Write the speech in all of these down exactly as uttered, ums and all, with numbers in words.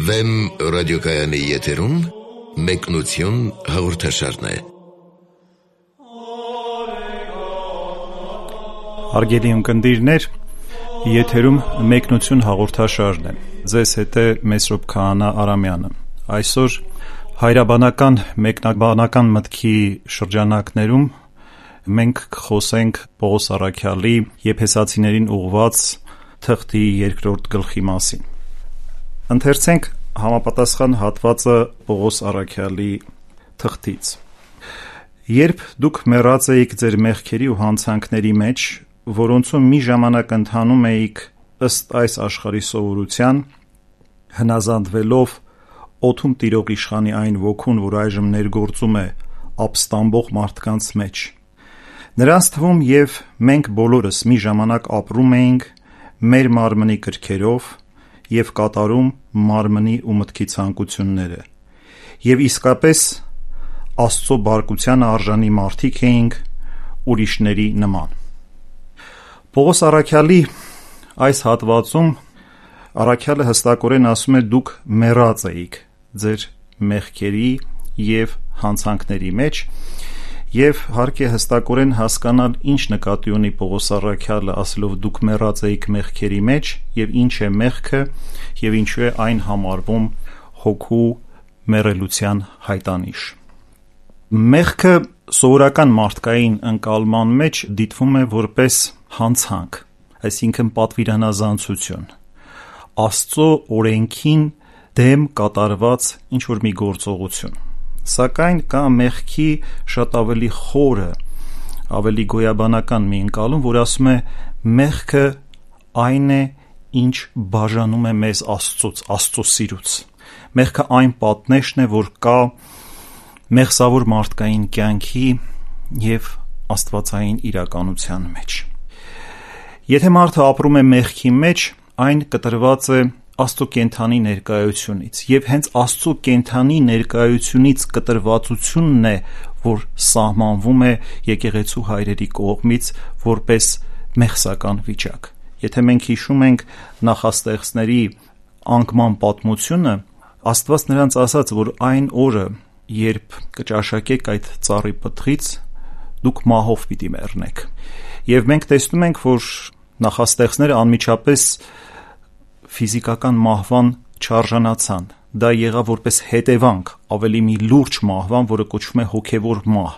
Վեմ ռադիոկայանի եթերում մեկնություն հաղորդաշարն է։ Հարգելի ունկնդիրներ, եթերում մեկնություն հաղորդաշարն է։ Ձեզ հետ է Մեսրոպ Քահանա Արամյանը։ Այսօր հայրաբանական մեկնաբանական մտքի շրջանակներում մենք կխոսենք Պողոս Առաքյալի Եփեսացիներին ուղղված թղթի երկրորդ գլխի մասին։ Ընթերցենք համապատասխան հատվածը Պողոս Առաքյալի թղթից։ Երբ դուք մեռած էիք ձեր մեղքերի ու հանցանքների մեջ, որոնցում մի ժամանակ ընթանում էիք ըստ այս աշխարհի սովորության, հնազանդվելով օդում տիրող իշխանի այն ոգուն, որ այժմ ներգործում է ապստամբող մարդկանց մեջ։ Նրանց թվում և մենք բոլորս մի ժամանակ ապրում էինք մեր մարմնի կրքերով և կատարում մարմնի ու մտքի ցանկությունները, և իսկապես Աստծո բարկությանը արժանի մարդիկ էինք ուրիշների նման։ Պողոս Առաքյալի այս հատվածում Առաքյալը հստակորեն ասում է դուք մեռած էիք ձեր մեղքերի և հանցանքների մեջ, և հարկ է հստակորեն հասկանալ ինչ նկատի ունի Պողոս Առաքյալը ասելով դուք մեռած էիք մեղքերի մեջ և ինչ է մեղքը և ինչու է այն համարվում հոգու մեռելության հայտանիշ։ Մեղքը սովորական մարդկային ընկալման մեջ դիտվում է որպես հանցանք, այսինքն պատվիրանազանցություն, Աստծո օրենքին դեմ կատարված ինչ-որ մի գործողություն։ Սակայն կա մեղքի շատ ավելի խորը, ավելի գոյաբանական մի ընկալում, որ ասում է մեղքը այն է, ինչ բաժանում է մեզ Աստծուց, Աստծո սիրուց։ Մեղքը այն պատնեշն է, որ կա մեղսավոր մարդկային կյանքի և աստվածային իրականության մեջ։ Եթե մարդը ապրում է մեղքի մեջ, այն կտրված է Աստծո կենդանի ներկայությունից, և հենց Աստծո կենդանի ներկայությունից կտրվածությունն է, որ սահմանվում է եկեղեցու հայրերի կողմից որպես մեղսական վիճակ։ Եթե մենք հիշում ենք նախաստեղծների անկման պատմությունը, Աստված նրանց ասաց, որ այն օրը, երբ կճաշակեք այդ ծառի պտղից, դուք մահով պիտի մեռնեք։ Եվ մենք տեսնում ենք, որ նախաստեղծները անմիջապես ֆիզիկական մահվան չարժանացան։ Դա եղավ որպես հետևանք ավելի մի լուրջ մահվան, որը կոչվում է հոգևոր մահ։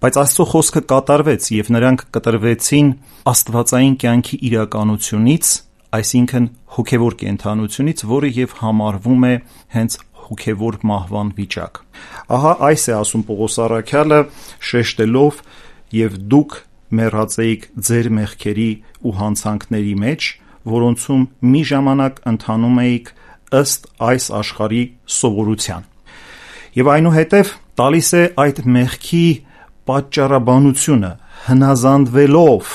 Բայց Աստծո խոսքը կատարվեց, և նրանք կտրվեցին աստվածային կյանքի իրականությունից, այսինքն հոգևոր կենդանությունից, որը և համարվում է հենց հոգևոր մահվան վիճակ։ Ահա այս է ասում Պողոս Առաքյալը, շեշտելով և դուք մեռած էիք ձեր մեղքերի ու հանցանքների մեջ, որոնցում մի ժամանակ ընթանում էիք ըստ այս աշխարհի սովորության։ Եվ այնուհետև տալիս է այդ մեղքի պատճառաբանությունը, հնազանդվելով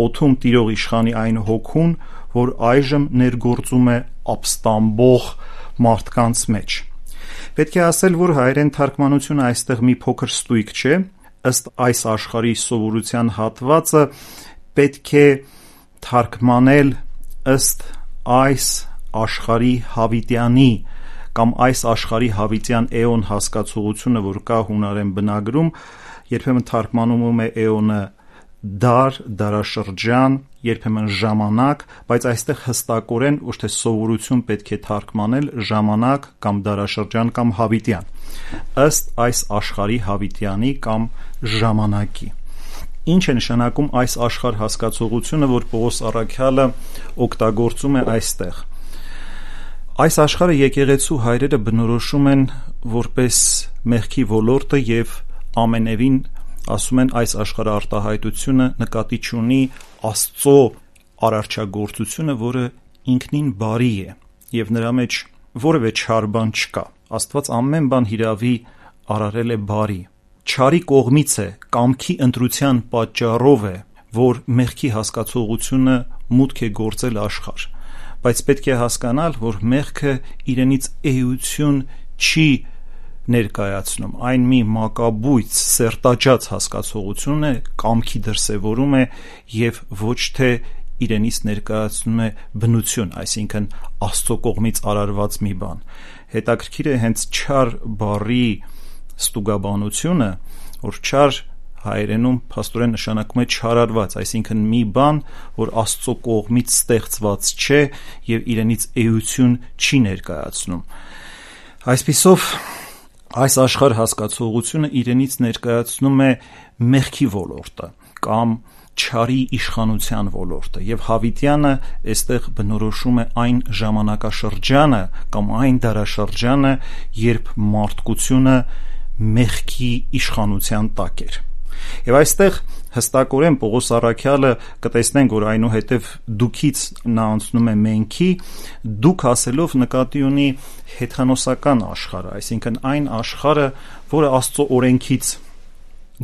օդում տիրող իշխանի այն հոգուն, որ այժմ ներգործում է ապստամբող մարդկանց մեջ։ Պետք է ասել, որ հայերեն թարգմանությունը այստեղ մի փոքր ստույգ չէ, ըստ այս աշխարհի սովորության հատվածը պետք է թարգմանել ըստ այս աշխարհի հավիտյանի կամ այս աշխարհի հավիտյան էոն հասկացողությունը, որ կա հունարեն բնագրում, երբեմն թարգմանում է էոնը դար, դարաշրջան, երբեմն ժամանակ, բայց այստեղ հստակորեն ոչ թե սովորություն պետք է թարգմանել ժամանակ կամ դարաշրջան կամ հավիտյան, ըստ այս աշխարհի հավիտյանի կամ ժամանակի։ Ինչ է նշանակում այս աշխարհ հասկացողությունը, որ Պողոս Առաքյալը օգտագործում է այստեղ։ Այս աշխարհը եկեղեցու հայրերը բնորոշում են որպես մեղքի ոլորտը և ամենևին ասում են այս աշխարհի արտահայտությունը նկատի չունի Աստծո արարչագործությունը, որը ինքնին բարի է և նրա մեջ որևէ չար բան չկա։ Աստված ամեն բան հիրավի արարել է բարի։ Չարի կողմից է, կամքի ընտրության պատճառով է, որ մեղքի հասկացողությունը մուտք է գործել աշխարհ, բայց պետք է հասկանալ, որ մեղքը իրենից էություն չի ներկայացնում, այն մի մակաբույծ, սերտաճած հասկացողություն է, կամքի դրսևորում է և ոչ թե իրենից ներկայացնում է բնություն, այսինքն Աստծո կողմից արարված մի բան։ հետաքրքիր է հենց չար բառի ստուգաբանությունը, որ չար հայերենում փաստորեն նշանակում է չարարված, այսինքն մի բան, որ Աստծո կողմից ստեղծված չէ եւ իրենից էություն չի ներկայացնում։ Այսպիսով այս աշխարհ հասկացողությունը իրենից ներկայացնում է մեղքի ոլորտը կամ չարի իշխանության ոլորտը, եւ Հավիտյանը այստեղ բնորոշում է այն ժամանակաշրջանը կամ այն դարաշրջանը, երբ մարդկությունը մեղքի իշխանության տակ էր։ Եվ այստեղ հստակորեն Պողոս առաքյալը կտեսնենք, որ այնուհետև դուքից նա անցնում է մենքի, դուք ասելով նկատի ունի հեթանոսական աշխարհը, այսինքն այն աշխարհը, որը Աստծո օրենքից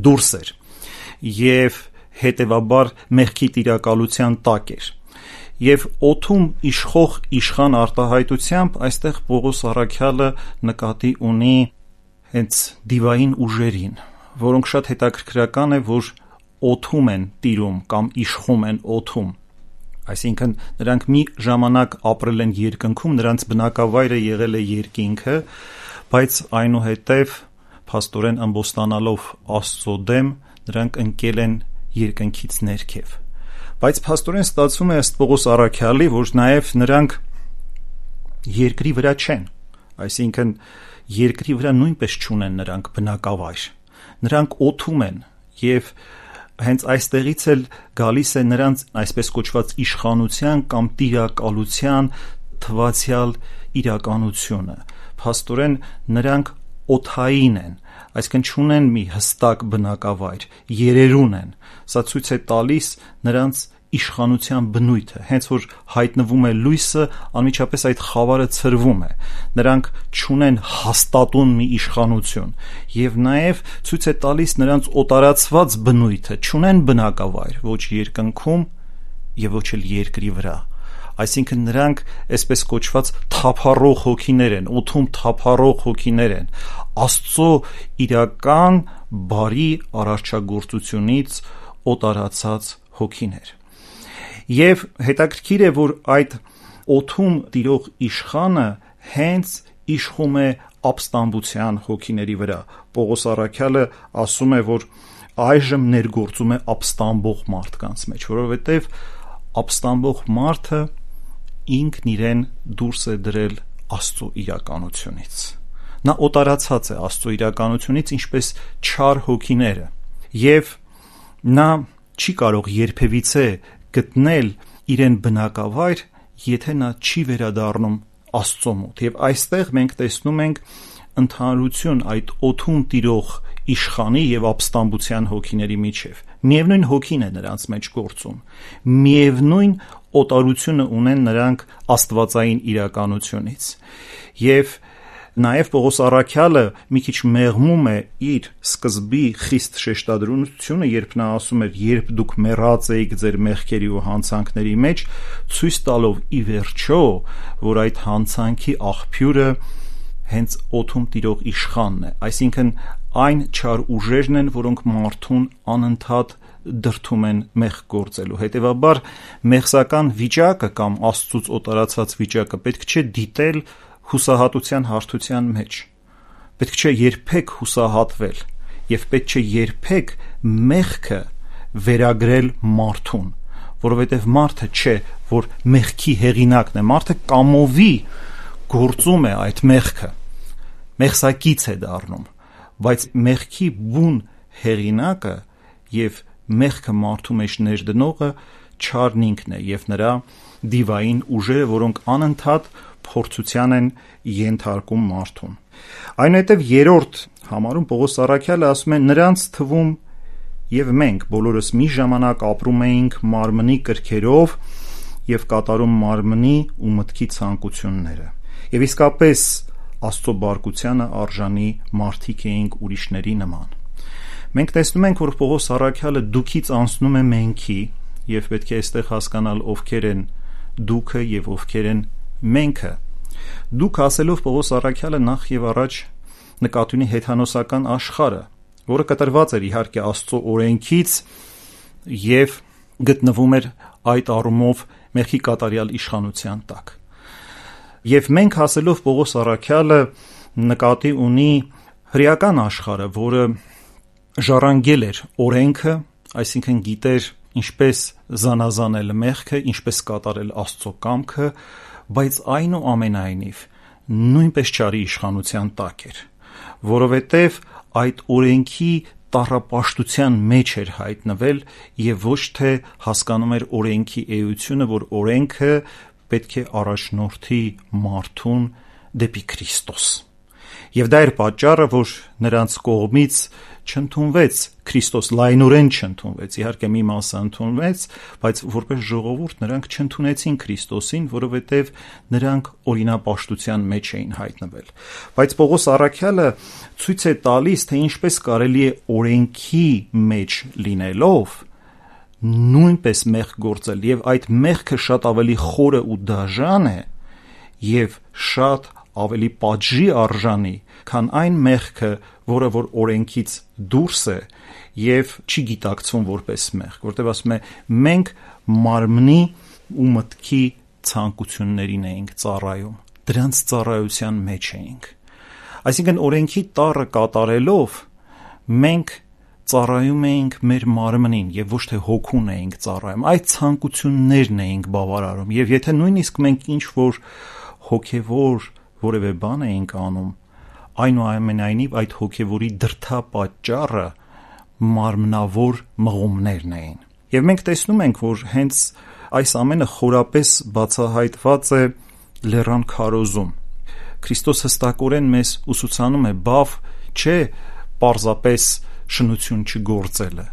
դուրս էր եւ հետեւաբար մեղքի տիրակալության տակ էր։ Եվ օդում իշխող իշխան արտահայտությամբ այստեղ Պողոս առաքյալը նկատի ունի հենց դիվային ուժերին, որոնք շատ հետաքրքրական է, որ օդում են տիրում կամ իշխում են օդում, այսինքն նրանք մի ժամանակ ապրել են երկնքում, նրանց բնակավայրը եղել է երկինքը, բայց այնուհետև փաստորեն ամբոստանալով Աստծո դեմ նրանք ընկել են երկնքից ներքև։ Բայց փաստորեն ստացվում է ըստ Պողոս առաքյալի, որ նաև նրանք երկրի վրա չեն, այսինքն երկրի վրա նույնպես չունեն նրանք բնակավայր, նրանք օդում են եւ հենց այստեղից էլ գալիս է նրանց այսպես կոչված իշխանության կամ տիրակալության թվացյալ իրականությունը։ Փաստորեն նրանք օդային են, այսինքն չունեն մի հստակ բնակավայր, երերուն են։ Սա ցույց է տալիս նրանց իշխանության բնույթը, հենց որ հայտնվում է լույսը, անմիջապես այդ խավարը ցրվում է, նրանք չունեն հաստատուն մի իշխանություն եւ նաեւ ցույց է տալիս նրանց օտարացված բնույթը, չունեն բնակավայր ոչ երկնքում եւ ոչ էլ երկրի վրա, այսինքն նրանք այսպես կոչված թափառող հոգիներ են, օդում թափառող հոգիներ են, Աստծո իրական բարի արարչագործությունից օտարացած հոգիներ։ Եվ հետաքրքիր է, որ այդ օդում տիրող իշխանը հենց իշխում է ապստամբության հոգիների վրա։ Պողոս առաքյալը ասում է, որ այժմ ներգործում է ապստամբող մարդկանց մեջ, որովհետև ապստամբող մարդը ինքն իրեն դուրս է դրել Աստծո իրականությունից։ Նա օտարացած է Աստծո իրականությունից, ինչպես չար հոգիները, եւ նա չի կարող երբևիցե գտնել իրեն բնակավայր, եթե նա չի վերադառնում Աստծո մոտ։ Եվ այստեղ մենք տեսնում ենք ընդհանրություն այդ օդում տիրող իշխանի եւ ապստամբության հոգիների միջև։ Միևնույն հոգին է նրանց մեջ գործում, միևնույն օտարությունը ունեն նրանք աստվածային իրականությունից։ Եվ նաև Պողոս առաքյալը մի քիչ մեղմում է իր սկզբի խիստ շեշտադրությունը, երբ նա ասում էր, երբ դուք մեռած էիք ձեր մեղքերի ու հանցանքների մեջ, ցույց տալով ի վերջո, որ այդ հանցանքի աղբյուրը հենց օդում տիրող իշխանն է, այսինքն այն չար ուժերն են, որոնք մարդուն անընդհատ դրդում են մեղք գործելու։ Հետևաբար մեղսական վիճակը կամ Աստծուց օտարացած վիճակը պետք չէ դիտել հուսահատության հարթության մեջ, պետք չէ երբեք հուսահատվել եւ պետք չէ երբեք մեղքը վերագրել մարդուն, որովհետեւ մարդը չէ, որ մեղքի հեղինակն է, մարդը կամովի գործում է այդ մեղքը, մեղսակից է դառնում, բայց մեղքի բուն հեղինակը եւ մեղքը մարդու մեջ ներդնողը չարն ինքն է եւ նրա դիվային ուժերը, որոնք անընդհատ փորձության են ենթարկում մարդուն։ Այնուհետև երրորդ համարում Պողոս առաքյալը ասում է, նրանց թվում եւ մենք բոլորս մի ժամանակ ապրում էինք մարմնի կրքերով եւ կատարում մարմնի ու մտքի ցանկությունները։ Եվ իսկապես Աստծո բարկությանը արժանի մարդիկ էինք ուրիշների նման։ Մենք տեսնում ենք, որ Պողոս առաքյալը դուքից անցնում է մենքի եւ պետք է այստեղ հասկանալ ովքեր են դուքը եւ ովքեր են մենքը։ Դուք ասելով Պողոս առաքյալը նախ եւ առաջ նկատի ունի հեթանոսական աշխարհը, որը կտրված էր իհարկե Աստծո օրենքից եւ գտնվում էր այդ առումով մեղքի կատարյալ իշխանության տակ։ Եվ մենք ասելով Պողոս առաքյալը նկատի ունի հրեական աշխարհը, որը ժառանգել էր օրենքը, այսինքն գիտեր ինչպես զանազանել մեղքը, ինչպես կատարել Աստծո կամքը, բայց այնուամենայնիվ նույնպես չարի իշխանության տակ էր, որովհետև այդ օրենքի տառապաշտության մեջ էր հայտնվել եւ ոչ թե հասկանում էր օրենքի էությունը, որ օրենքը պետք է առաջնորդի մարդուն դեպի Քրիստոս։ Եվ դա էր պատճառը, որ նրանց կողմից չընդունվեց Քրիստոս, լայնորեն չընդունվեց, իհարկե մի մասը ընդունվեց, բայց որպես ժողովուրդ նրանք չընդունեցին Քրիստոսին, որովհետև նրանք օրինապաշտության մեջ էին հայտնվել։ Բայց Պողոս առաքյալը ցույց է տալիս, թե ինչպես կարելի է օրենքի մեջ լինելով նույնպես մեղք գործել, եւ այդ մեղքը շատ ավելի խորը ու դաժան է եւ շատ ավելի պատժի արժանի, քան այն մեղքը, որը որ օրենքից դուրս է եւ չի գիտակցվում որպես մեղք, որտեղ ասում է մենք մարմնի ու մտքի ցանկություններին էինք ծառայում, դրանց ծառայության մեջ էինք։ Այսինքն օրենքի տառը կատարելով մենք ծառայում էինք մեր մարմնին եւ ոչ թե հոգուն էինք ծառայում, այդ ցանկություններն էինք բավարարում, եւ եթե նույնիսկ մենք ինչ որ հոգեվոր որևէ բան էինք անում, այնուամենայնիվ այդ հոգեվորի դրդապատճառը մարմնավոր մղումներն էին։ Եվ մենք տեսնում ենք, որ հենց այս ամենը խորապես բացահայտված է լեռան քարոզում։ Քրիստոս հստակորեն մեզ ուսուցանում է, բավ չէ պարզապես շնություն չգործելը,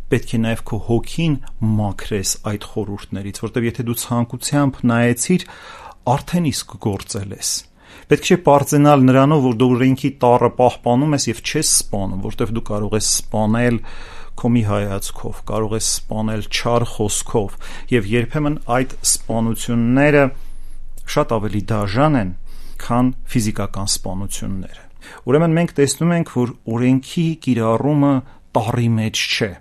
պետք է նաև քո հոգին մաքրես այդ խորհուրդներից, որտեղ եթե դու ցանկությամբ նայեցիր, արդեն իսկ գործել ես։ Պետք չէ պարծենալ նրանով, որ դու օրենքի տառը պահպանում ես եւ չես սպանում, որտեղ դու կարող ես սպանել քո մի հայացքով, կարող ես սպանել չար խոսքով, եւ երբեմն այդ սպանությունները շատ ավելի դաժան են, քան ֆիզիկական սպանությունները։ Ուրեմն մենք տեսնում ենք, որ օրենքի կիրառումը տառի մեջ չէ,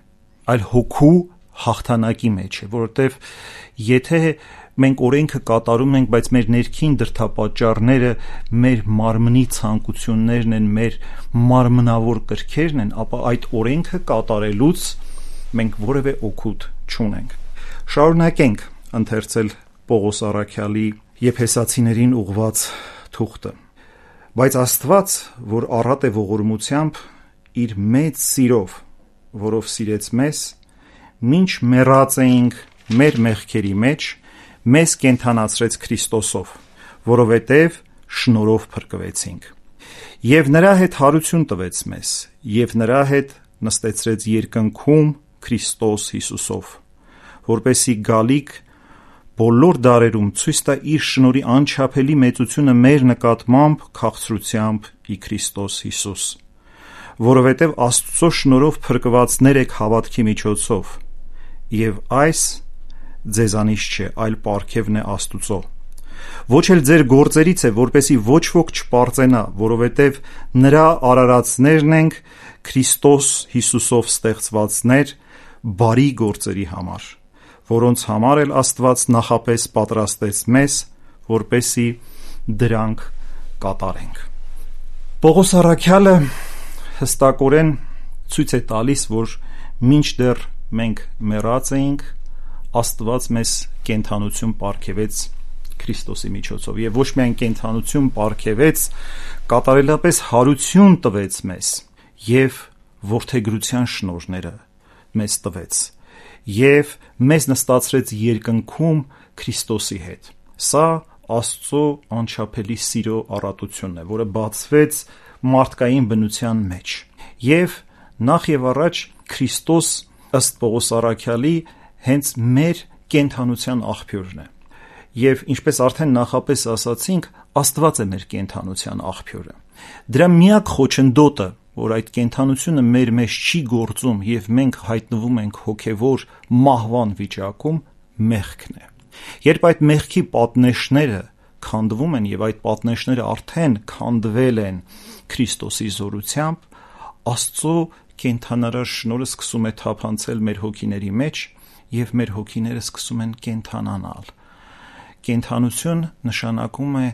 այլ հոգու հաղթանակի մեջ է, որովհետև եթե մենք օրենքը կատարում ենք, բայց մեր ներքին դրդապատճառները մեր մարմնի ցանկություններն են, մեր մարմնավոր կրքերն են, ապա այդ օրենքը կատարելուց մենք որևէ օգուտ չունենք։ Շարունակենք ընթերցել Պողոս առաքյալի Եփեսացիներին ուղված թուղթը։ Բայց Աստված, որ առատ է ողորմությամբ, իր մեծ սիրով, որով սիրեց մեզ, մինչ մեռած էինք մեր մեղքերի մեջ, մեզ կենդանացրեց Քրիստոսով, որովհետև շնորհով փրկվեցինք։ Եվ նրա հետ հարություն տվեց մեզ, եւ նրա հետ նստեցրեց երկնքում Քրիստոս Հիսուսով, որպեսզի գալիք բոլոր դարերում ցույց տա իր շնորհի անչափելի մեծությունը մեր նկատմամբ քաղցրությամբ ի Քրիստոս Հիսուս, որովհետև Աստծո շնորհով փրկվածներ եք հավատքի միջոցով, եւ այս ձեզանից չէ, այլ պարգևն է Աստուծո։ Ոչ էլ ձեր գործերից է, որպեսի ոչ ոք չպարծենա, որովհետև նրա արարածներն ենք Քրիստոս Հիսուսով ստեղծվածներ բարի գործերի համար, որոնց համար էլ Աստված նախապես պատրաստեց մեզ, որպեսի դրանք կատարենք։ Պողոս առաքյալը հստակորեն ցույց է տալիս, որ մինչդեռ մենք մեռած էինք, Աստված մեզ կենդանություն պարգևեց Քրիստոսի միջոցով, եւ ոչ միայն կենդանություն պարգևեց, կատարելապես հարություն տվեց մեզ եւ որդեգրության շնորհները մեզ տվեց եւ մեզ նստացրեց երկնքում Քրիստոսի հետ։ Սա Աստծո անչափելի սիրո առատությունն է, որը բացվեց մարդկային բնության մեջ։ Եվ նախ եւ առաջ Քրիստոս ըստ Պողոս առաքյալի հենց մեր կենդանության աղբյուրն է։ Եվ ինչպես արդեն նախապես ասացինք, Աստված է մեր կենդանության աղբյուրը։ Դրա միակ խոչընդոտը, որ այդ կենդանությունը մեր մեջ չի գործում եւ մենք հայտնվում ենք հոգեվոր մահվան վիճակում, մեղքն է։ Երբ այդ մեղքի պատնեշները քանդվում են եւ այդ պատնեշները արդեն քանդվել են Քրիստոսի զորությամբ, Աստծո կենդանարար շնորհը սկսում է թափանցել մեր հոգիների մեջ եւ մեր հոգիները սկսում են կենդանանալ։ Կենդանություն նշանակում է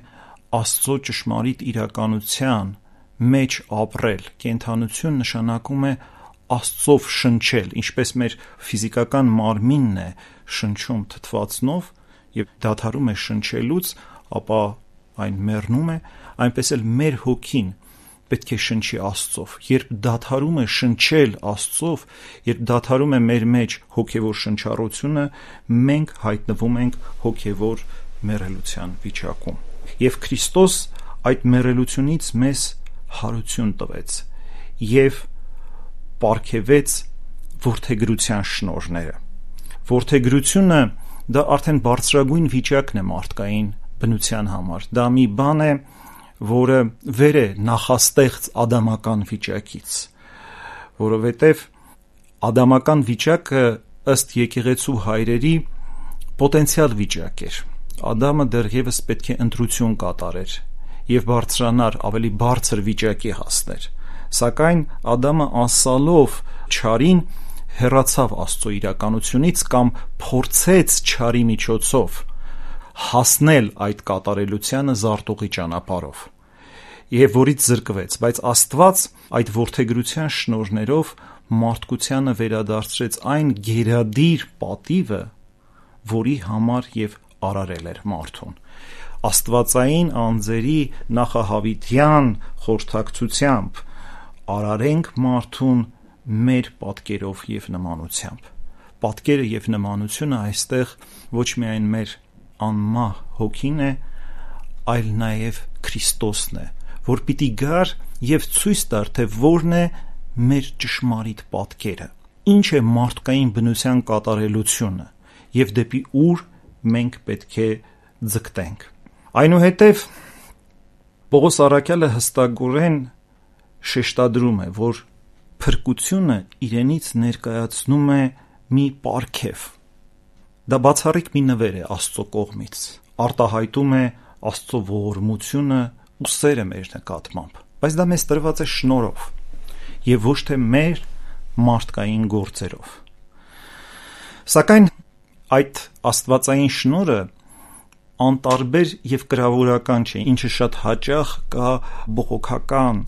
Աստծո ճշմարիտ իրականության մեջ ապրել։ Կենդանություն նշանակում է Աստծով շնչել, ինչպես մեր ֆիզիկական մարմինն է շնչում թթվածնով եւ դադարում է շնչելուց, ապա այն մեռնում է, այնպես էլ մեր հոգին պետք է շնչի Աստծով։ Երբ դադարում է շնչել Աստծով, երբ դադարում է մեր մեջ հոգևոր շնչառությունը, մենք հայտնվում ենք հոգևոր մեռելության վիճակում։ Եվ Քրիստոս այդ մեռելությունից մեզ հարություն տվեց եւ պարգևեց որդեգրության շնորհները։ Որդեգրությունը դա արդեն բարձրագույն վիճակն է մարդկային բնության համար։ Դա մի բան է, որը վեր է նախաստեղծ ադամական վիճակից, որովհետև ադամական վիճակը ըստ եկեղեցու հայրերի պոտենցիալ վիճակ էր։ Ադամը դեռևս պետք է ընտրություն կատարեր եւ բարձրանար, ավելի բարձր վիճակի հասներ։ Սակայն Ադամը անսալով չարին հեռացավ Աստծո իրականությունից կամ փորձեց չարի միջոցով հասնել այդ կատարելությանը զարտուղի ճանապարհով եւ որից զրկվեց, բայց Աստված այդ որդեգրության շնորհներով մարդկությանը վերադարձրեց այն գերադիր պատիվը, որի համար եւ արարել էր մարդուն։ Աստվածային անձերի նախահավիտյան խորհրդակցությամբ արարենք մարդուն մեր պատկերով եւ նմանությամբ։ Պատկերը եւ նմանությունը այստեղ ոչ միայն մեր անմահ հոգին է, այլ նաեւ Քրիստոսն է, որ պիտի գար եւ ցույց տար, թե որն է մեր ճշմարիտ պատկերը, ինչ է մարդկային բնության կատարելությունը եւ դեպի ուր մենք պետք է ձգտենք։ Այնուհետև Պողոս առաքյալը հստակորեն շեշտադրում է, որ փրկությունը իրենից ներկայացնում է մի պարգև։ Դա բացառիկ մի նվեր է Աստծո կողմից, արտահայտում է Աստծո ողորմությունը ու սերը մեր նկատմամբ, բայց դա մեզ տրված է շնորհով եւ ոչ թե մեր մարդկային գործերով։ Սակայն այդ աստվածային շնորհը անտարբեր եւ կրավորական չէ, ինչը շատ հաճախ կա բողոքական,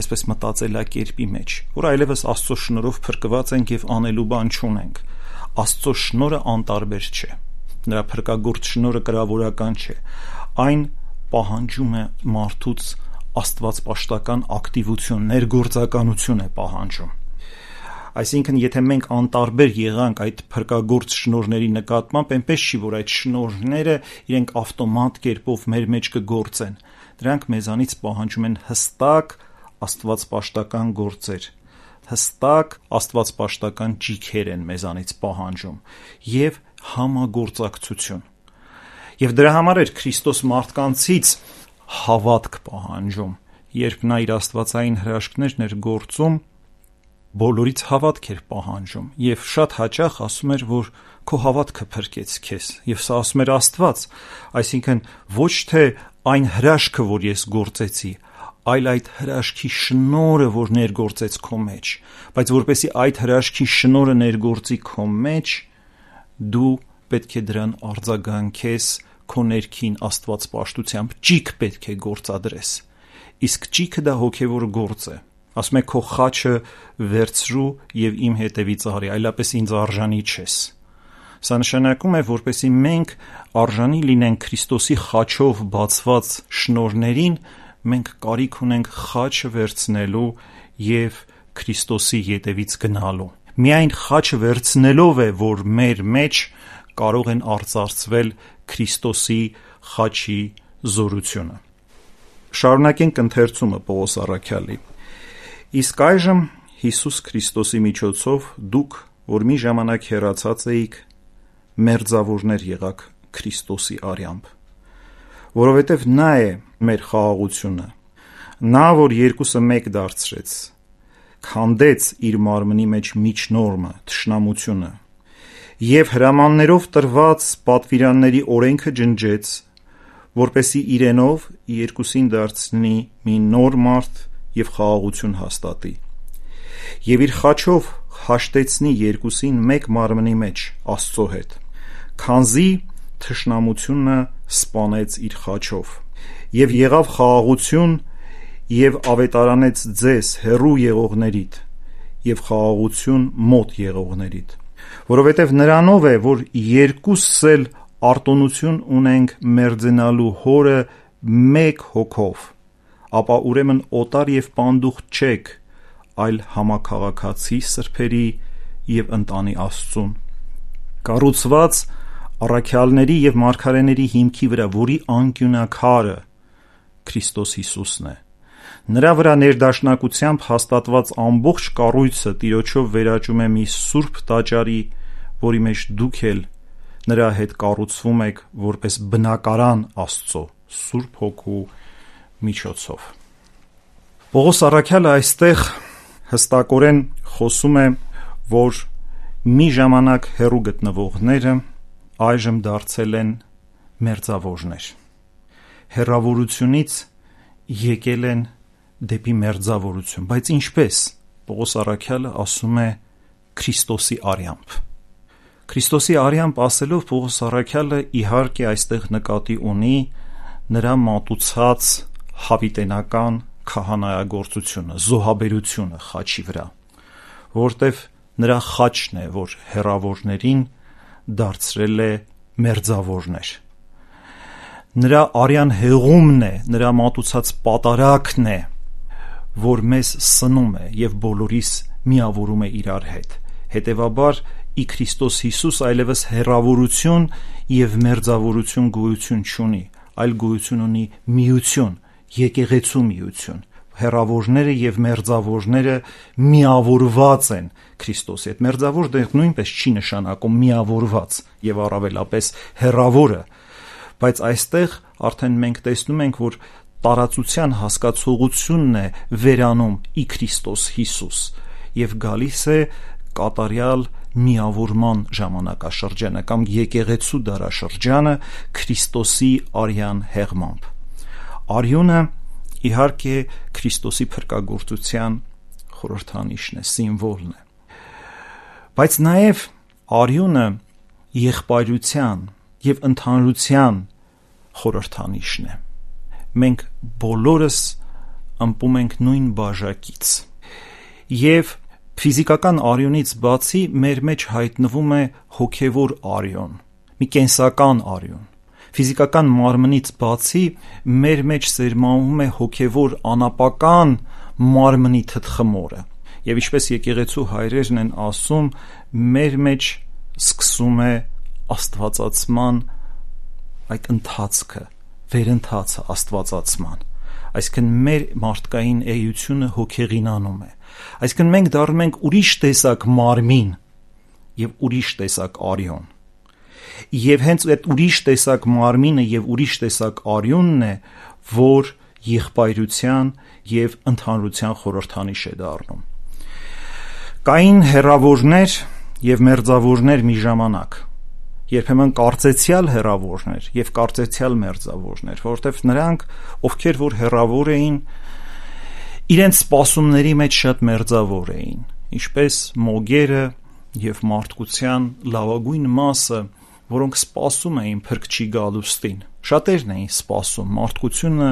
այսպես մտածելակերպի մեջ, որ այլևս Աստծո շնորհով փրկված ենք եւ անելու բան չունենք։ Աստծո շնորհը անտարբեր չէ, նրա փրկագործ շնորհը կրավորական չէ, այն պահանջում է մարդուց աստվածպաշտական ակտիվություն, ներգործականություն է պահանջում։ Այսինքն, եթե մենք անտարբեր եղանք այդ փրկագործ շնորհների նկատմամբ, այնպես չի, որ այդ շնորհները իրենք ավտոմատ կերպով մեր մեջ կգործեն։ Դրանք մեզանից պահանջում են հստակ աստվածպաշտական գործեր, հստակ աստվածպաշտական ճիգեր են մեզանից պահանջում եւ համագործակցություն։ Եվ դրա համար էր Քրիստոս մարդկանցից հավատք պահանջում, երբ նա իր աստվածային հրաշքներն էր գործում, բոլորից հավատք էր պահանջում եւ շատ հաճախ ասում էր, որ քո հավատքը փրկեց քեզ, եւ սա ասում էր Աստված, այսինքն ոչ թե այն հրաշքը, որ ես գործեցի, այլ այդ հրաշքի շնորհը, որ ներգործեց քո մեջ, բայց որպեսզի այդ հրաշքի շնորհը ներգործի քո մեջ, դու պետք է դրան արձագանքես քո ներքին աստվածպաշտությամբ, ճիգ պետք է գործադրես։ Իսկ ճիգը դա հոգևոր գործ է։ Ասում է քո խաչը վերցրու եւ իմ հետևից արի, այլապես ինձ արժանի չես։ Սա նշանակում է, որպեսզի մենք արժանի լինենք Քրիստոսի խաչով բացված շնորհներին, մենք կարիք ունենք խաչը վերցնելու եւ Քրիստոսի ետևից գնալու։ Միայն խաչը վերցնելով է, որ մեր մեջ կարող են արծարծվել Քրիստոսի խաչի զորությունը։ Շարունակենք ընթերցումը Պողոս առաքյալի։ Իսկ այժմ Հիսուս Քրիստոսի միջոցով դուք, որ մի ժամանակ հեռացած էիք, մերձավորներ եղաք Քրիստոսի արյամբ, որովհետև նա է մեր խաղաղությունը, նա, որ երկուսը մեկ դարձրեց, քանդեց իր մարմնի մեջ միջնորմը, թշնամությունը, եւ հրամաններով տրված պատվիրանների օրենքը ջնջեց, որպեսի իրենով երկուսին դարձնի մի նոր մարդ եւ խաղաղություն հաստատի, եւ իր խաչով հաշտեցնի երկուսին մեկ մարմնի մեջ Աստծո հետ, քանզի թշնամությունը սպանեց իր խաչով, եւ եղավ խաղաղություն եւ ավետարանեց ձեզ հեռու եղողներիդ եւ խաղաղություն մոտ եղողներիդ, որովհետեւ նրանով է, որ երկուսս էլ արտոնություն ունենք մերձենալու հորը մեկ հոգով, ապա ուրեմն օտար եւ պանդուխ չեք, այլ համաքաղաքացի սրբերի եւ ընտանի Աստծուն, կառուցված առաքյալների եւ մարգարեների հիմքի վրա, որի անկյունակարը Քրիստոս Հիսուսն է, նրա վրա ներդաշնակությամբ հաստատված ամբողջ կառույցը Տիրոջով վերաճում է մի սուրբ տաճարի, որի մեջ դուք էլ նրա հետ կառուցվում եք որպես բնակարան Աստծո Սուրբ Հոգու միջոցով։ Պողոս առաքյալը այստեղ հստակորեն խոսում է, որ մի ժամանակ հեռու գտնվողները այժմ դարձել են մերձավորներ, հեռավորությունից եկել են դեպի մերձավորություն, բայց ինչպես? Պողոս առաքյալը ասում է Քրիստոսի արյամբ։ Քրիստոսի արյամբ ասելով Պողոս առաքյալը իհարկե այստեղ նկատի ունի նրա մատուցած հավիտենական քահանայագործությունը, զոհաբերությունը խաչի վրա, որտև նրա խաչն է, որ հեռավորներին դարձրել է մերձավորներ։ Նրա արյան հեղումն է, նրա մատուցած պատարակն է, որ մեզ սնում է եւ բոլորիս միավորում է իրար հետ։ Հետևաբար ի Քրիստոս Հիսուս այլևս հեռավորություն եւ մերձավորություն գոյություն չունի, այլ գոյություն ունի միություն, եկեղեցու միություն։ Հեռավորները եւ մերձավորները միավորված են Քրիստոսի հետ։ Մերձավորը նույնպես չի նշանակում միավորված եւ առավելապես հեռավորը, բայց այստեղ արդեն մենք տեսնում ենք, որ տարածության հասկացողությունն է վերանում ի Քրիստոս Հիսուս եւ գալիս է կատարյալ միավորման ժամանակաշրջանը կամ եկեղեցու դարաշրջանը Քրիստոսի արյան հեղմամբ։ Արյունը իհարկե Քրիստոսի փրկagorցության խորհրդանիշն է, սիմվոլն է, բայց նաև արյունը եղբայրության եւ ընդհանրության խորհրդանիշն է։ Մենք բոլորս ըմպում ենք նույն բաժակից եւ ֆիզիկական արյունից բացի մեր մեջ հայտնվում է հոգևոր արյուն, մի կենսական արյուն։ Ֆիզիկական մարմնից բացի մեր մեջ սերմանվում է հոգևոր անապական մարմնի թթխմորը եւ ինչպես եկեղեցու հայրերն են ասում, մեր մեջ սկսում է աստվածացման այդ ընթացքը, վերընթացը աստվածացման, այսինքն մեր մարդկային էությունը հոգեղինանում է, այսինքն մենք դառնում ենք ուրիշ տեսակ մարմին եւ ուրիշ տեսակ արյուն, եւ հենց այդ ուրիշ տեսակ մարմինը եւ ուրիշ տեսակ արյունն է, որ եղբայրության եւ ընդհանրության խորհրդանիշ է դառնում։ Կային հեռավորներ եւ մերձավորներ մի ժամանակ, երբեմն կարծեցյալ հեռավորներ եւ կարծեցյալ մերձավորներ, որովհետեւ նրանք, ովքեր որ հեռավոր էին, իրենց սպասումների մեջ շատ մերձավոր էին, ինչպես մոգերը եւ մարդկության լավագույն մասը, որոնք սպասում էին փրկչի գալուստին։ Շատերն էին սպասում, մարդկությունը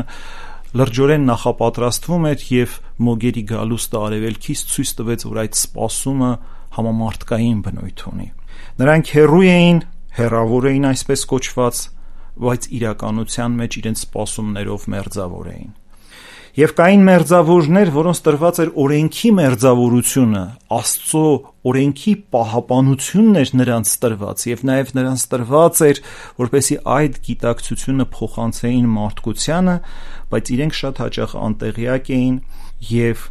լրջորեն նախապատրաստվում էր եւ մոգերի գալուստը արևելքից ցույց տվեց, որ այդ սպասումը համամարտկային բնույթ ունի։ Նրանք հեռու էին, հեռավոր էին այսպես կոչված, բայց իրականության մեջ իրենց սպասումներով մերձավոր էին։ Եվ կային մերձավորներ, որոնց տրված էր օրենքի մերձավորությունը, Աստծո օրենքի պահապանությունն էր նրանց տրված, եւ նաեւ նրանց տրված էր, որպեսզի այդ գիտակցությունը փոխանցեին մարդկությանը, բայց իրենք շատ հաճախ անտեղյակ էին եւ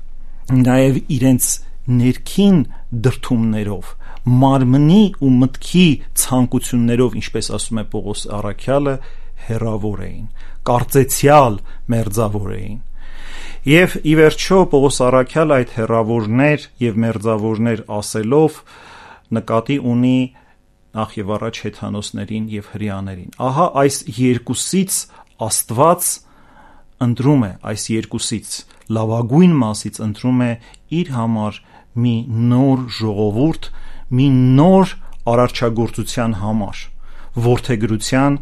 նաեւ իրենց ներքին դրդումներով, մարմնի ու մտքի ցանկություններով, ինչպես ասում է Պողոս առաքյալը, հեռավոր էին, կարծեցյալ մերձավոր էին։ Եվ ի վերջո Պողոս առաքյալը այդ հեռավորներ եւ մերձավորներ ասելով նկատի ունի նախ եւ առաջ հեթանոսներին եւ հրեաներին։ Ահա այս երկուսից Աստված ընտրում է, այս երկուսից լավագույն մասից ընտրում է իր համար մի նոր ժողովուրդ, մի նոր արարչագործության համար, որդեգրության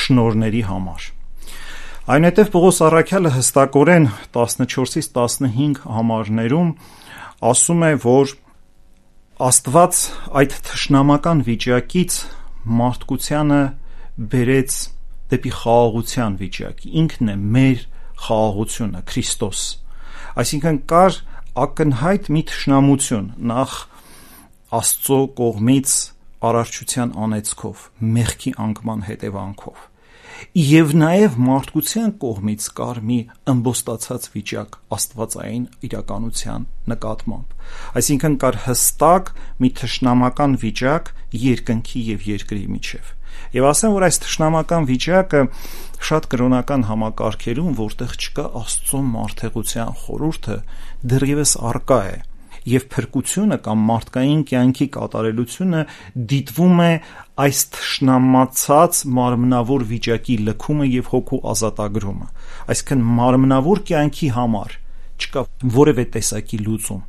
շնորհների համար։ Այնուհետև Պողոս առաքյալը հստակորեն տասնչորսից տասնհինգ համարներում ասում է, որ Աստված այդ թշնամական վիճակից մարդկությանը բերեց դեպի խաղաղության վիճակ, ինքն է մեր խաղաղությունը, Քրիստոս, այսինքն կար ակնհայտ մի թշնամություն, նախ Աստծո կողմից արարչության անեծքով, մեղքի անկման հետևանքով, եւ նաեւ մարդկության կողմից կար մի ըմբոստացած վիճակ աստվածային իրականության նկատմամբ, այսինքն կար հստակ մի թշնամական վիճակ երկնքի եւ երկրի միջեւ, եւ ասեմ, որ այս թշնամական վիճակը շատ կրոնական համակարգերում, որտեղ չկա Աստծո մարդեղության խորհուրդը, դեռևս առկա է, եւ փրկությունը կամ մարդկային կյանքի կատարելությունը դիտվում է այս թշնամացած մարմնավոր վիճակի լքումը եւ հոգու ազատագրումը, այսինքն մարմնավոր կյանքի համար չկա որևէ տեսակի լուծում,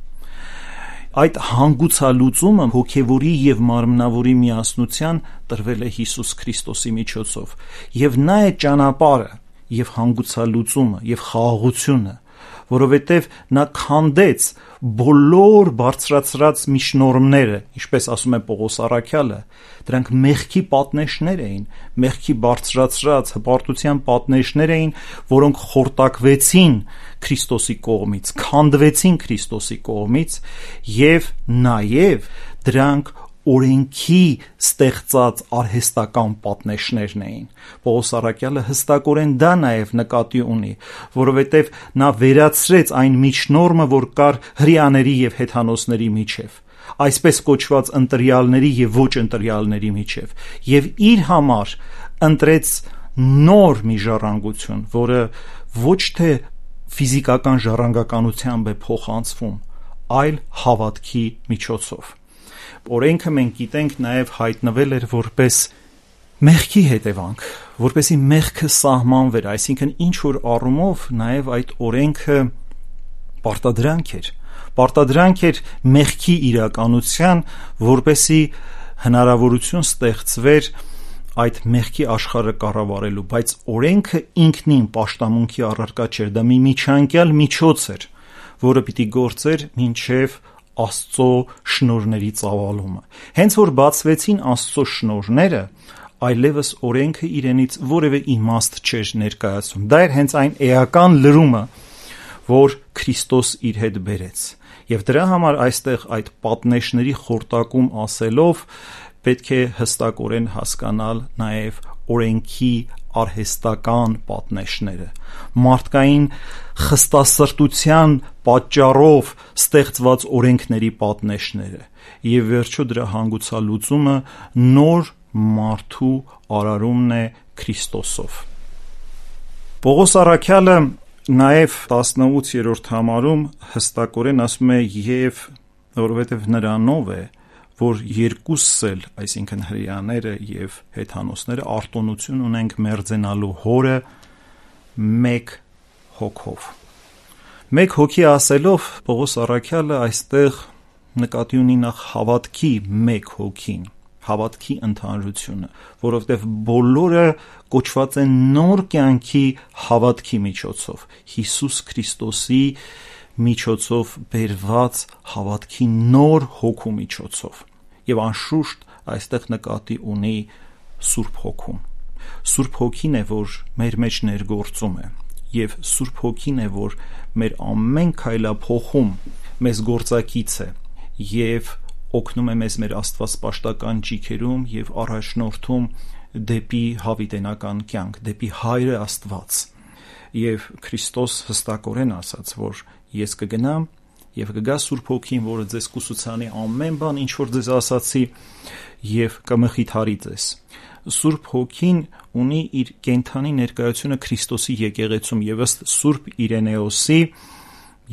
այդ հանգուցալուծումը հոգեվորի եւ մարմնավորի միասնության տրվել է Հիսուս Քրիստոսի միջոցով, եւ նա է ճանապարհը եւ հանգուցալուծումը եւ խաղաղությունը, որովհետև նա քանդեց բոլոր բարձրացրած միջնորմները, ինչպես ասում է Պողոս առաքյալը, դրանք մեղքի պատնեշներ էին, մեղքի բարձրացրած հպարտության պատնեշներ էին, որոնք խորտակվեցին Քրիստոսի կողմից, քանդվեցին Քրիստոսի կողմից եւ նաեւ դրանք օրենքի ստեղծած արհեստական պատնեշներն էին։ Պողոս առաքյալը հստակորեն դա նաև նկատի ունի, որովհետև նա վերացրեց այն միջնորմը, որ կար հրեաների եւ հեթանոսների միջև, այսպես կոչված ընտրյալների եւ ոչ ընտրյալների միջև, եւ իր համար ընտրեց նոր մի ժառանգություն, որը ոչ թե ֆիզիկական ժառանգականությամբ է փոխանցվում, այլ հավատքի միջոցով։ Օրենքը մենք գիտենք նաև հայտնվել էր որպես մեղքի հետևանք, որպեսի մեղքը սահմանվեր, այսինքն ինչ որ առումով նաև այդ օրենքը պարտադրանք էր, պարտադրանք էր մեղքի իրականության, որպեսի հնարավորություն ստեղծվեր այդ մեղքի աշխարհը կառավարելու, բայց օրենքը ինքնին պաշտամունքի առարկա չէր, դա մի միջանկյալ միջոց էր, որը պիտի գործեր մինչև Աստծո շնորհների ծավալումը։ Հենց որ բացվեցին Աստծո շնորհները, այլևս օրենքը իրենից որևէ իմաստ չէր ներկայացում։ Դա էր հենց այն էական լրումը, որ Քրիստոս իր հետ բերեց։ Եվ դրա համար այստեղ այդ պատնեշների խորտակում ասելով պետք է հստակորեն հասկանալ նաև օրենքի արհեստական պատնեշները, մարդկային խստասրտության պատճառով ստեղծված օրենքների պատնեշները եւ վերջո դրա հանգուցալուծումը նոր մարդու արարումն է Քրիստոսով։ Պողոս առաքյալը նաև տասնութերորդ համարում հստակորեն ասում է եւ որովհետեւ նրանով է, որ երկուսս էլ, այսինքն հրեաները եւ հեթանոսները արտոնություն ունենք մերձենալու հորը մեկ հոգով։ Մեկ հոգի ասելով Պողոս առաքյալը այստեղ նկատի ունի նախ հավատքի մեկ հոգին, հավատքի ընդհանրությունը, որովհետև բոլորը կոչված են նոր կյանքի հավատքի միջոցով, Հիսուս Քրիստոսի միջոցով բերված հավատքի նոր հոգու միջոցով։ Եվ անշուշտ այստեղ նկատի ունի Սուրբ Հոգուն։ Սուրբ Հոգին է, որ մեր մեջ ներգործում է, եւ Սուրբ Հոգին է, որ մեր ամեն քայլափոխում մեզ գործակից է եւ օգնում է մեզ մեր աստվածպաշտական ճիգերում եւ առաջնորդում դեպի հավիտենական կյանք, դեպի Հայրը Աստված։ Եվ Քրիստոս հստակորեն ասաց, որ ես կգնամ եւ կգա Սուրբ Հոգին, որը ձեզ կուսուցանի ամեն բան, ինչ որ ձեզ ասացի, եւ կմխիթարի ձեզ։ Սուրբ Հոգին ունի իր կենթանի ներկայությունը Քրիստոսի եկեղեցում եւ ըստ Սուրբ Իրենեոսի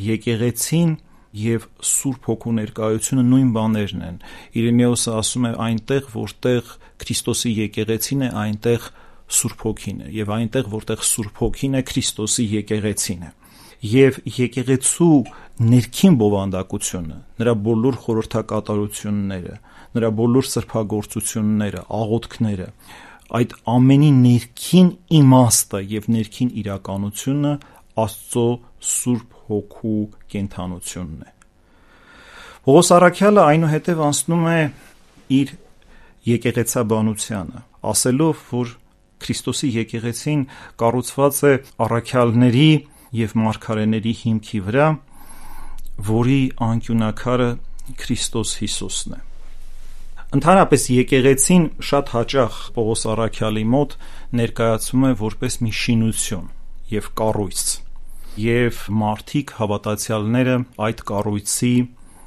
եկեղեցին եւ Սուրբ Հոգու ներկայությունը նույն բաներն են։ Իրենեոսը ասում է այնտեղ, որտեղ Քրիստոսի եկեղեցին է, այնտեղ Սուրբ Հոգին է, եւ այնտեղ, որտեղ Սուրբ Հոգին է, Քրիստոսի եկեղեցին է։ Եվ եկեղեցու ներքին բովանդակությունը, նրա բոլոր խորհրդակատարությունները, նրա բոլոր սրբագործությունները, աղոթքները, այդ ամենի ներքին իմաստը եւ ներքին իրականությունը Աստծո Սուրբ Հոգու կենթանությունն է։ Պողոս առաքյալը այնուհետև անցնում է իր եկեղեցաբանությանը, ասելով, որ Քրիստոսի եկեղեցին կառուցված է առաքյալների եւ մարգարեների հիմքի վրա, որի անկյունաքարը Քրիստոս Հիսուսն է։ Ընդհանրապես եկեղեցին շատ հաճախ Պողոս առաքյալի մոտ ներկայացում է որպես մի շինություն եւ կառույց, եւ մարդիկ հավատացյալները այդ կառույցի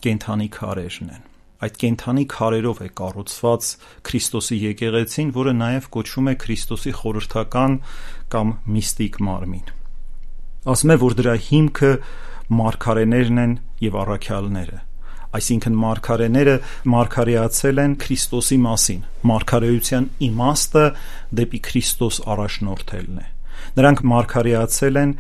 կենդանի քարերն են։ Այդ կենդանի քարերով է կառուցված Քրիստոսի եկեղեցին, որը նաև կոչվում է Քրիստոսի խորհրդական կամ միստիկ մարմին։ Ասում է, որ դրա հիմքը մարգարեներն են եւ առաքյալները, այսինքն մարգարեները մարգարեացել են Քրիստոսի մասին, մարգարեության իմաստը դեպի Քրիստոս առաջնորդելն է։ Նրանք մարգարեացել են,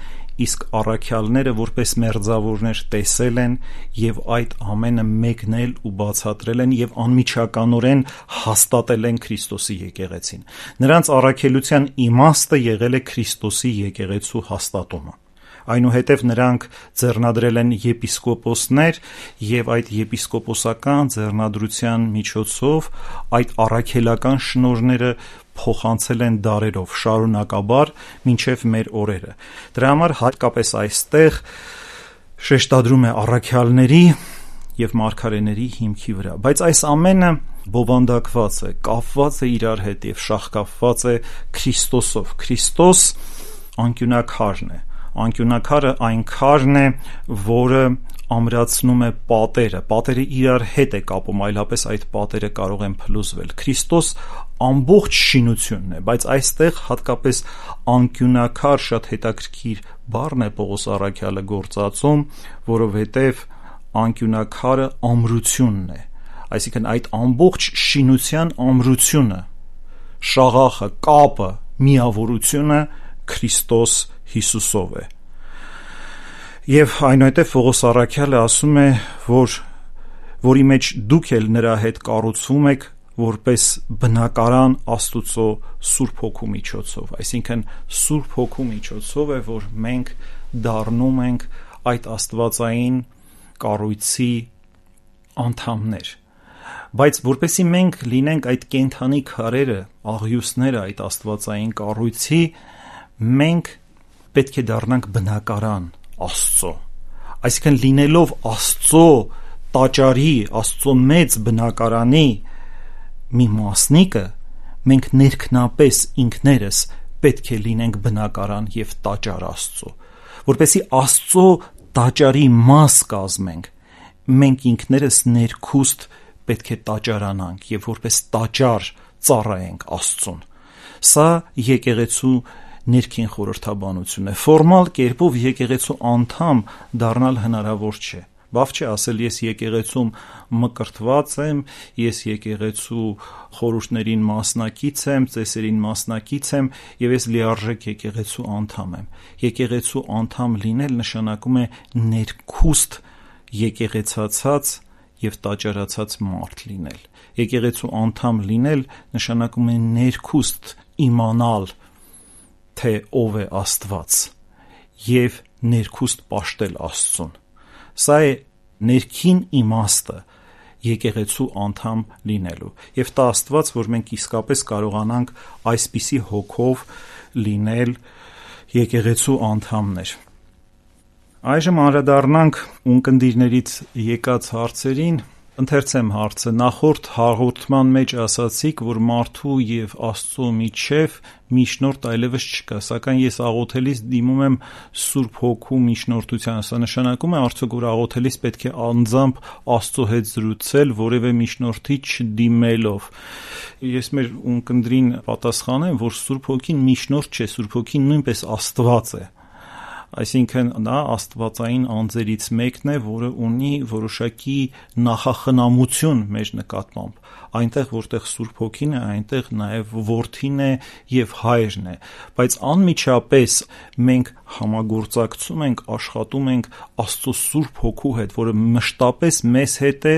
իսկ առաքյալները որպես մերձավորներ տեսել են եւ այդ ամենը մեկնել ու բացատրել են եւ անմիջականորեն հաստատել են Քրիստոսի եկեղեցին։ Նրանց առաքելության իմաստը եղել է Քրիստոսի եկեղեցու հաստատումը։ Այնուհետև նրանք ձեռնադրել են եպիսկոպոսներ եւ այդ եպիսկոպոսական ձեռնադրության միջոցով այդ առաքելական շնորհները փոխանցել են դարերով շարունակաբար մինչև մեր օրերը։ Դրա համար հատկապես այստեղ շեշտադրում է առաքյալների եւ մարգարեների հիմքի վրա, բայց այս ամենը բովանդակված է, կապված է իրար հետ եւ շաղկապված է Քրիստոսով։ Քրիստոս անկյունակարն է, անկյունակարը այն քարն է, որը ամրացնում է պատերը, պատերը իրար հետ է կապում, այլապես այդ պատերը կարող են փլուզվել։ Քրիստոս ամբողջ շինությունն է, բայց այստեղ հատկապես անկյունակար շատ հետաքրքիր բառն է Պողոս առաքյալը գործածում, որովհետև անկյունակարը ամրությունն է, այսինքն այդ ամբողջ շինության ամրությունը, շաղախը, կապը, միավորությունը Քրիստոս Հիսուսով է։ Եվ այնուհետև Պողոս առաքյալը ասում է, որ որի մեջ դուք էլ նրա հետ կառուցվում եք որպես բնակարան Աստուծո Սուրբ Հոգու միջոցով, այսինքն Սուրբ Հոգու միջոցով է, որ մենք դառնում ենք այդ աստվածային կառույցի անդամներ։ Բայց որպեսզի մենք լինենք այդ կենդանի քարերը, աղյուսները այդ աստվածային կառույցի, մենք պետք է դառնանք բնակարան Աստծո, այսինքն լինելով Աստծո տաճարի, Աստծո մեծ բնակարանի մի մասնիկը, մենք ներքնապես ինքներս պետք է լինենք բնակարան եւ տաճար Աստծո, որպեսզի Աստծո տաճարի մաս կազմենք, մենք ինքներս ներքուստ պետք է տաճարանանք եւ որպես տաճար ծառայենք Աստծուն։ Սա եկեղեցու ներքին խորհրդաբանություն է։ Ֆորմալ կերպով եկեղեցու անդամ դառնալ հնարավոր չէ։ Բավ չէ ասել ես եկեղեցում մկրտված եմ, ես եկեղեցու խորհուրդներին մասնակից եմ, ծեսերին մասնակից եմ եւ ես լիարժեք եկեղեցու անդամ եմ։ Եկեղեցու անդամ լինել նշանակում է ներքուստ եկեղեցացած եւ տաճարացած մարդ լինել։ Եկեղեցու անդամ լինել նշանակում է ներքուստ իմանալ, թե ով է Աստված եւ ներքուստ պաշտել Աստծուն։ Սա է ներքին իմաստը եկեղեցու անդամ լինելու եւ տա Աստված, որ մենք իսկապես կարողանանք այսպիսի հոգով լինել եկեղեցու անդամներ։ Այժմ անդրադառնանք ունկնդիրներից եկած հարցերին։ Ընթերցեմ հարցը. նախորդ հաղորդման մեջ ասացիք, որ մարդու եւ Աստծո միջև միջնորդ այլևս չկա, սակայն ես աղոթելիս դիմում եմ Սուրբ Հոգու միջնորդությանը։ Սա նշանակում է արդյոք, որ աղոթելիս պետք է անձամբ Աստծո հետ զրուցել, որևէ միջնորդի չդիմելով։ Ես մեր ունկնդրին պատասխանեմ, որ Սուրբ Հոգին միջնորդ չէ, Սուրբ Հոգին նույնպես Աստված է։ Այսինքն նա աստվածային անձերից մեկն է, որը ունի որոշակի նախախնամություն մեր նկատմամբ։ Այնտեղ, որտեղ Սուրբ Հոգին է, այնտեղ նաև Որդին է եւ Հայրն է, բայց անմիջապես մենք համագործակցում ենք, աշխատում ենք Աստծո Սուրբ Հոգու հետ, որը մշտապես մեզ հետ է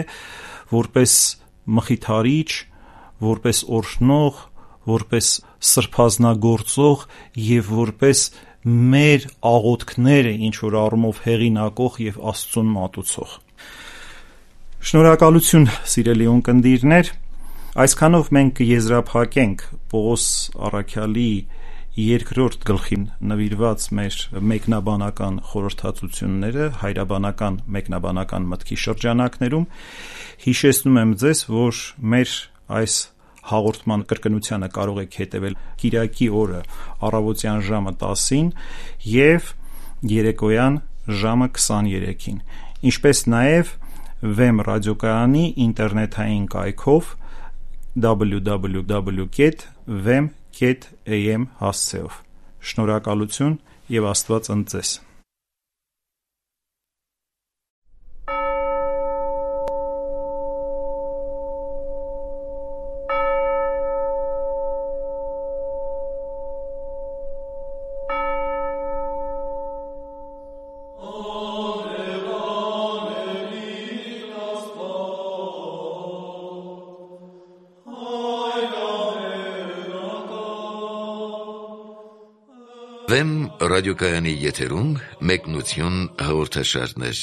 որպես մխիթարիչ, որպես օրհնող, որպես սրբազնագործող եւ որպես մեր աղոթքները ինչ որ առումով հեղինակող եւ Աստծուն մատուցող։ Շնորհակալություն, սիրելի ունկնդիրներ, այսքանով մենք կեզրափակենք Պողոս առաքյալի երկրորդ գլխին նվիրված մեր մեկնաբանական խորհրդածությունները հայրաբանական մեկնաբանական մտքի շրջանակներում։ Հիշեցնում եմ ձեզ, որ մեր այս հաղորդման կրկնությանը կարող եք հետևել կիրակի օրը առավոտյան ժամը տասին եւ երեկոյան ժամը քսաներեքին, ինչպես նաեւ Վեմ ռադիոկայանի ինտերնետային կայքով double-u double-u double-u dot vem dot a m հասցեով։ Շնորհակալություն եւ Աստված ընդ ձեզ։ Վեմ ռադիոկայանի եթերում մեկնություն հաղորդաշարներ։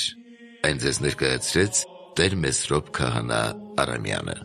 Այն ձեզ ներկայացրեց Տեր Մեսրոպ Քահանա Արամյանը։